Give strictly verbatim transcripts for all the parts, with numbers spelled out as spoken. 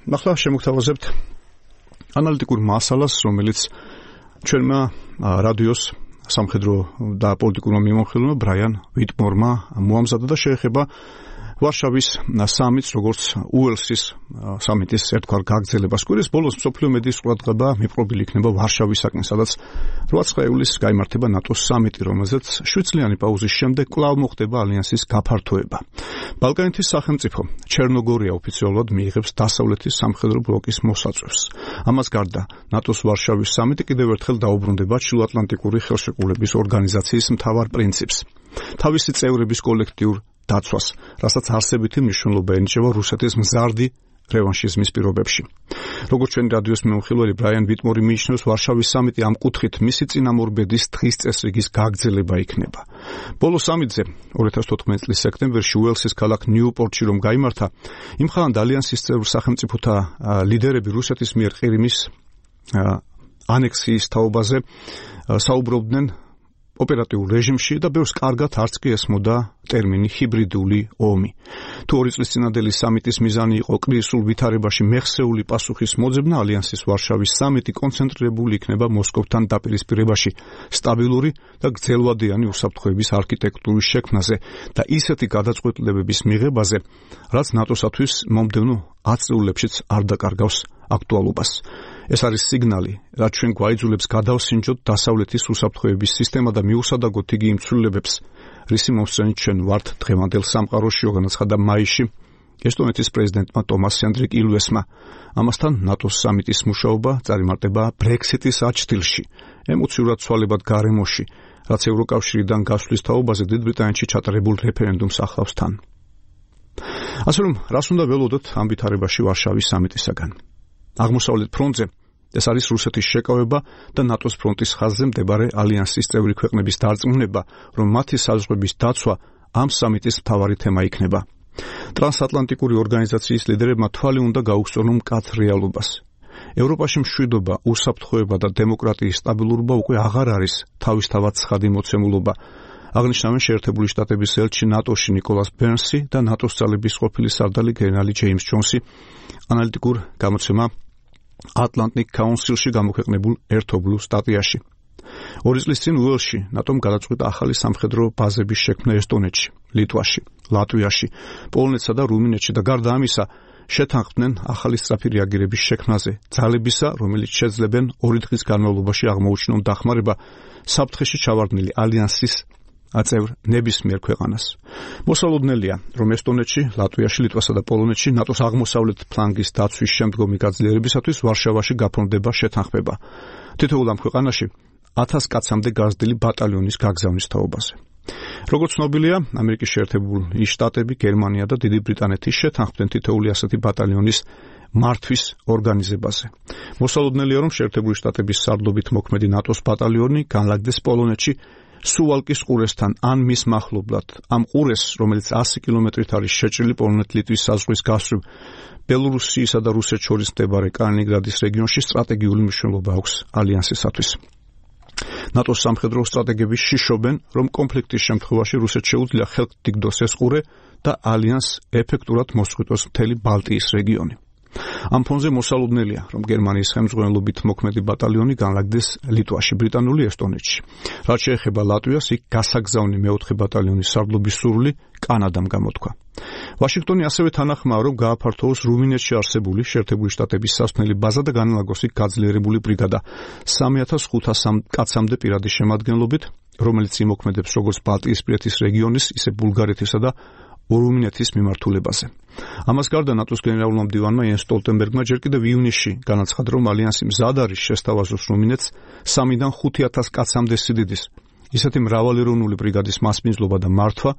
ახლა შემოგთავაზებთ ანალიტიკურ მასალას, რომელიც ჩვენმა რადიოს სამხედრო და პოლიტიკურმა მიმოხილველმა ბრაიან ვიტმორმა მოამზადა და შეეხება ვარშავის სამიტს, როგორც უელსის სამიტის ერთგვარ გაგრძელებას. კვირის ბოლოს მსოფლიო მედიის ყურადღება მიპყრობილი იქნება ვარშავისაკენ, სადაც რვა ივლისს გაიმართება ნატოს სამიტი, რომელზეც შვიდწლიანი პაუზის შემდეგ კვლავ მოხდება ალიანსის გაფართოება. ბალკანეთის სახელმწიფო ჩერნოგორია ოფიციალურად მიიღებს დასავლეთის სამხედრო ბლოკის მოსაწვევს. ამას გარდა ნატოს ვარშავის სამიტი კიდევ ერთხელ დაუბრუნდება ჩრდილოატლანტიკური ხელშეკრულების ორგანიზაციის მთავარ პრინციპს, თავისი წევრების კოლექტიურ დაცვას, რასაც არსებითი მნიშვნელობა ენიჭება რუსეთის მზარდი რევანშიზმის პირობებში. როგორც ჩვენი რადიოს მიმოხილველი ბრაიან ვიტმორი მიიჩნევს, ვარშავის სამიტი ამ კუთხით მისი წინამორბედის დღის წესრიგის გაგრძელება იქნება. ბოლო სამიტზე ორი ათას თოთხმეტი წლის სექტემბერში უელსის ქალაქ ნიუპორტში რომ გაიმართა, იმხანად ალიანსის წევრ სახელმწიფოთა ლიდერები რუსეთის მიერ ყირიმის ანექსიის თაობაზე საუბრობდნენ ოპერატიულ რეჟიმში და ბევრს კარგად არც კი ესმოდა ტერმინი ჰიბრიდული ომი. თუ ორი წლის წინადელი სამიტის მიზანი იყო კრიზისულ ვითარებაში მეხსეული პასუხის მოძებნა, ალიანსის ვარშავის სამიტი კონცენტრირებული იქნება მოსკოვთან დაპირისპირებაში, სტაბილური და გრძელვადიანი უსაფრთხოების არქიტექტურის შექმნაზე და ისეთი გადაწყვეტილებების მიღებაზე, რაც ნატოსათვის მომდევნო ათწლეულებშიც არ დაკარგავს აქტუალობას. ეს არის სიგნალი, რაც ჩვენ გვაიძულებს გადავსინჯოთ დასავლეთის უსაფრთხოების სისტემა და მიუსადაგოთ იგი იმ ცვლილებებს, რისი მომსწრენით ჩვენ ვართ დღევანდელ სამყაროში, განაცხადა მაისში ესტონეთის პრეზიდენტმა ტომას ჰენდრიკ ილვესმა. ამასთან ნატოს სამიტის მუშაობა წარიმარტება ბრექსიტის აჩრდილში, ემოციურად ცვალებად გარემოში, რაც ევროკავშირიდან გასვლის თაობაზე დიდ ბრიტანეთში ჩატარებულ რეფერენდუმს ახლავს თან. ასე რომ, რას უნდა ველოდოთ ამ ვითარებაში ვარშავის სამიტისაგან? აღმოსავლეთ ფრონტზე ეს არის რუსეთის შეკავება და ნატოს ფრონტის ხაზზე მდებარე ალიანსის წევრი ქვეყნების დარწმუნება, რომ მათი საზღვრების დაცვა ამ სამიტის მთავარი თემა იქნება. ტრანსატლანტიკური ორგანიზაციის ლიდერებმა თვალი უნდა გაუგზავნონ მკაცრ რეალობას. ევროპაში მშვიდობა, უსაფრთხოება და დემოკრატიის სტაბილურობა უკვე აღარ არის თავისთავად ცხადი მოცემულობა. აღნიშნავენ შეერთებული შტატების ელჩი ნატოში ნიკოლას ბერნსი და ნატოს ძალების ყოფილი სარდალი გენერალი ჯეიმს ჯონსი ანალიტიკურ გამოცემა Atlantic Council-ში გამოქვეყნებულ ერთობლივ სტატიაში. ორი წლის წინ უელსში ნატომ გადაწყვიტა ახალი სამხედრო ბაზების შექმნა ესტონეთში, ლიტვაში, ლატვიაში, პოლონეთსა და რუმინეთში და გარდა ამისა შეთანხმდნენ ახალი სწრაფი რეაგირების შექმნაზე, ძალებისა, რომელიც შეძლებენ ორი დღის განმავლობაში აღმოუჩინონ დახმარება საფრთხეში ჩავარდნილი ალიანსის აწევრ ნებისმიერ ქვეყანას. მოსალოდნელია, რომ ესტონეთში, ლატვიაში, ლიტვასა და პოლონეთში ნატოს აღმოსავლეთ ფლანგის დაცვის შემდგომი გაძლიერებისათვის ვარშავაში გაფორმდება შეთანხმება. თითოეულ ამ ქვეყანაში ათას კაცამდე გაზრდილი ბატალიონის გაგზავნის თაობაზე. როგორც ცნობილია, ამერიკის შეერთებული შტატები, გერმანია და დიდი ბრიტანეთი შეთანხმდნენ თითოეული ასეთი ბატალიონის მართვის ორგანიზებაზე. მოსალოდნელია, რომ შეერთებული შტატების სარდლობით მოქმედი ნატოს ბატალიონი განლაგდეს პოლონეთში, სუვალკის ყურესთან ან მის მახლობლად. ამ ყურეს, რომელიც ასი კილომეტრით არის შეჭრილი პოლონეთ-ლიტვის საზღვრის გასწვრივ, ბელორუსიისა და რუსეთს შორის მდებარე კალინინგრადის რეგიონში სტრატეგიული მნიშვნელობა აქვს ალიანსისათვის. ნატოს სამხედრო სტრატეგები შიშობენ, რომ კონფლიქტის შემთხვევაში რუსეთს შეუძლია ხელთ დგდოს ეს ყურე და ალიანსს ეფექტურად მოსწყვიტოს მთელი ბალტიის რეგიონი. ამ ფონზე მოსალოდნელია, რომ გერმანიის ხელმძღვანელობით მოქმედი ბატალიონი განლაგდეს ლიტვაში, ბრიტანული ესტონეთში. რაც შეეხება ლატვიას, იქ გასაგზავნი მეოთხე ბატალიონის სარდლობის სურვილი კანადამ გამოთქვა. ვაშინგტონი ასევე თანახმაა, რომ გააფართოვოს რუმინეთში არსებული შეერთებული შტატების სასმელი ბაზა და განლაგოს იქ გაძლიერებული ბრიგადა სამი ათას ხუთასი კაცამდე პირადის შემადგენლობით, რომელიც იმოქმედებს როგორც ბალტიისპირეთის რეგიონის, ისე ბულგარეთისა და რუმინეთის მიმართულებაზე. ამას გარდა ნატოს გენერალურმა მდივანმა იენს სტოლტენბერგმა ჯერ კიდევ ივნისში განაცხადა, რომ ალიანსი მზად არის შესთავაზოს რუმინეთს სამიდან ხუთი ათას კაცამდე სიდიდის, ისეთი მრავალეროვნული ბრიგადის მასპინძლობა და მართვა,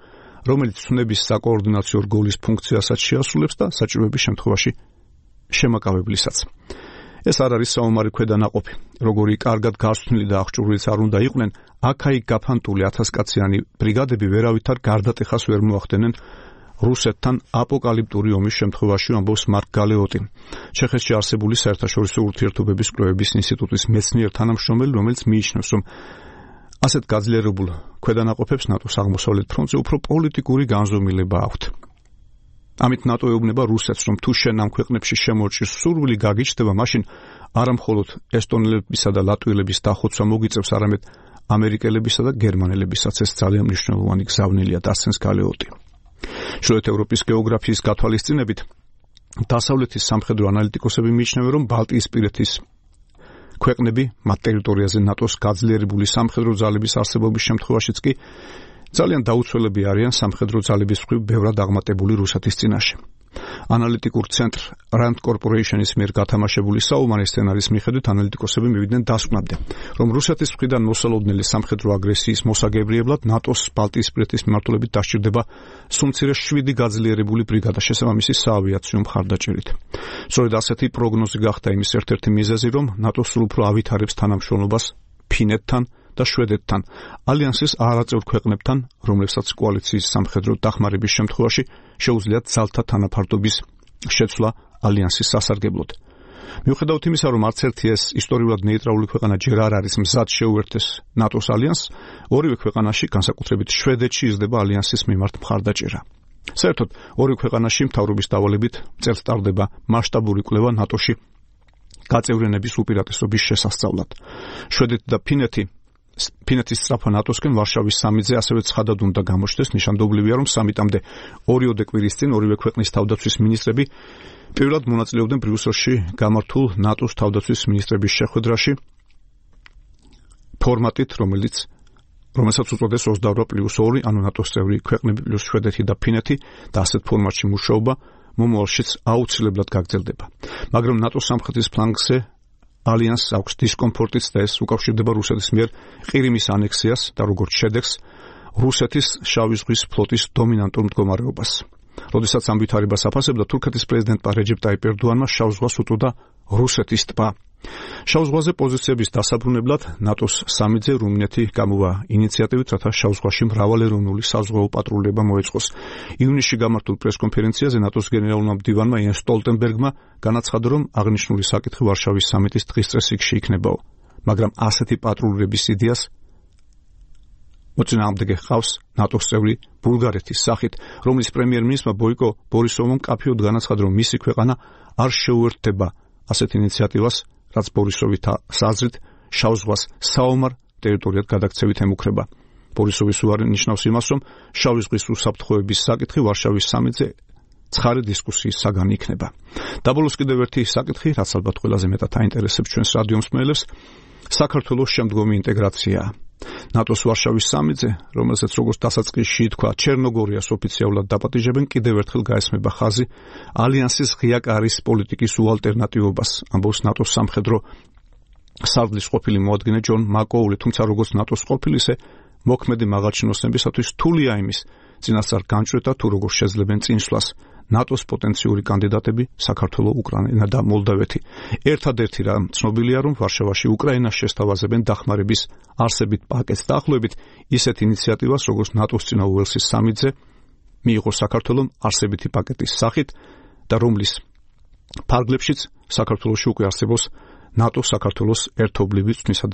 რომელიც ცნების საკოორდინაციო რგოლის ფუნქციასაც შეასრულებს და საჭიროების შემთხვევაში შემაკავებლისაც. ეს არ არის საომარი ქვედანაყოფი, როგორი კარგად გასწვნილი და აღჭურვილიც არ უნდა იყვნენ, აქ-აიქ გაფანტული ათასკაციანი ბრიგადები ვერავითარ გარდატეხას ვერ მოახდენენ რუსეთთან აპოკალიპტური ომის შემთხვევაში, ამბობს მარკ გალეოტი, ჩეხეთში არსებული საერთაშორისო ურთიერთობების კვლევების ინსტიტუტის მეცნიერ თანამშრომელი, რომელიც მიიჩნევს, რომ ასეთ გაძლიერებულ ქვედანაყოფებს ნატოს აღმოსავლეთ ფრონტზე უფრო პოლიტიკური განზომილება აქვთ. ამით ნატო ეუბნება რუსეთს, რომ თუ შენ ამ ქვეყნებში შემორჩის სურვილი გაგიჩნდება, მაშინ არა მხოლოდ ესტონელებისა და ლატვიელების დახოცვა მოგიწევს, არამედ ამერიკელებისა და გერმანელებისაც ეს ძალიან მნიშვნელოვანი გზავნილია, დასცენს გალეოტი. ჩრდილოეთ ევროპის გეოგრაფიის გათვალისწინებით დასავლეთის სამხედრო ანალიტიკოსები მიიჩნევენ, რომ ბალტიისპირეთის ქვეყნები მათ ტერიტორიაზე ნატოს გაძლიერებული სამხედრო ძალების არსებობის შემთხვევაშიც კი ძალიან დაუცველები არიან სამხედრო ძალების მხრივ ბევრად აღმატებული რუსეთის წინაშე. ანალიტიკურ ცენტრ Rand Corporation-ის მიერ გათამაშებული საომარი სცენარის მიხედვით ანალიტიკოსები მივიდნენ დასკვნამდე, რომ რუსეთის მხრიდან მოსალოდნელი სამხედრო აგრესიის მოსაგებრიებლად ნატოს ბალტიისპირეთის მიმართულებით დასჭირდება სულ მცირე შვიდი გაძლიერებული ბრიგადა შესაბამისი საავიაციო მხარდაჭერით. სწორედ ასეთი პროგნოზი გახდა იმის ერთ-ერთი მიზეზი, რომ ნატო სულ უფრო ავითარებს თანამშრომლობას ფინეთთან და შვედეთთან, ალიანსის არაწევრ ქვეყნებთან, რომლებსაც კოალიციის სამხედრო დახმარების შემთხვევაში შეუძლიათ ძალთა თანაფარდობის შეცვლა ალიანსის სასარგებლოდ. მიუხედავად იმისა, რომ არც ერთი ეს ისტორიულად ნეიტრალური ქვეყანა ჯერ არ არის მზად შეუერთდეს ნატოს ალიანსს, ორივე ქვეყანაში, განსაკუთრებით შვედეთში, იზრდება ალიანსის მიმართ მხარდაჭერა. საერთოდ, ორივე ქვეყანაში მთავრობის დავალებით წელს ტარდება მასშტაბური კვლევა ნატოში გაწევრიანების უპირატესობის შესასწავლად. შვედეთი და ფინეთი ფინეთის სწრაფა ნატოსკენ ვარშავის სამიტზე ასევე ცხადად უნდა გამოჩნდეს. ნიშანდობლივია, რომ სამიტამდე ორიოდე კვირის წინ ორივე ქვეყნის თავდაცვის მინისტრები პირველად მონაწილეობდნენ ბრიუსელში გამართულ ნატოს თავდაცვის მინისტრების შეხვედრაში ფორმატით, რომელიც რომელსაც უწოდეს ოცდაორ პლუს ორი, ანუ ნატოს წევრი ქვეყნები პლუს შვედეთი და ფინეთი და ასეთ ფორმატში მუშაობა მომავალშიც აუცილებლად გაგრძელდება. მაგრამ ნატოს სამხრეთის ფლანგზე ალიანსს აქვს დისკომფორტიც და ეს უკავშირდება რუსეთის მიერ ყირიმის ანექსიას და როგორც შედეგს რუსეთის შავი ზღვის ფლოტის დომინანტურ მდგომარეობას. როდესაც ამ ვითარებას აფასებდა თურქეთის პრეზიდენტმა რეჯეპ ტაიპ ერდოანმა შავ ზღვას უწოდა რუსეთის ტბა. შავ ზღვაზე პოზიციების დასაბრუნებლად ნატოს სამიტზე რუმინეთი გამოვა ინიციატივით, რათა შავ ზღვაში მრავალეროვნული საზღვაო პატრულება მოეწყოს. ივნისში გამართულ პრესკონფერენციაზე ნატოს გენერალურმა მდივანმა იენს სტოლტენბერგმა განაცხადა, რომ აღნიშნული საკითხი ვარშავის სამიტის დღის წესრიგში იქნებაო, მაგრამ ასეთი პატრულირების იდეას მოწინააღმდეგე ჰყავს ნატოს წევრი ბულგარეთის სახით, რომლის პრემიერ-მინისტრმა ბოიკო ბორისოვმა მკაფიოდ განაცხადა, რომ მისი ქვეყანა არ შეუერთდება ასეთ ინიციატივას, რაც ბორისოვის აზრით შავ ზღვას საომარ ტერიტორიად გადაქცევით ემუქრება. ბორისოვის უარი ნიშნავს იმას, რომ შავი ზღვის უსაფრთხოების საკითხი ვარშავის სამიტზე ცხარე დისკუსიის საგანი იქნება. დაბოლოს კიდევ ერთი საკითხი, რაც ალბათ ყველაზე მეტად აინტერესებს ჩვენს რადიო მსმენელებს, საქართველოს შემდგომი ინტეგრაციაა. ნატოს ვარშავის სამიტზე, რომელსაც როგორც დასაწყისში ითქვა, ჩერნოგორიას ოფიციალურად დაპატიჟებენ, კიდევ ერთხელ გაესმება ხაზი ალიანსის ღია კარის პოლიტიკის უალტერნატივობას, ამბობს ნატოს სამხედრო სარდლის ყოფილი მოადგილე ჯონ მაკოული, თუმცა როგორც ნატოს ყოფილი, ისე მოქმედი მაღალჩინოსნებისათვის რთულია იმის წინასწარ განჭვრეტა, თუ როგორ შეძლებენ წინსვლას ნატოს პოტენციური კანდიდატები საქართველო, უკრაინა და მოლდავეთი. ერთადერთი რამ ცნობილია, რომ ვარშავაში უკრაინას შესთავაზებენ დახმარების არსებით პაკეტს დაახლოებით ისეთ ინიციატივას, როგორც ნატოს წინა უელსის სამიტზე მიიღო საქართველომ არსებითი პაკეტის სახით და რომლის ფარგლებშიც საქართველოში უკვე არსებობს ნატო საქართველოს ერთობლივი წვნისა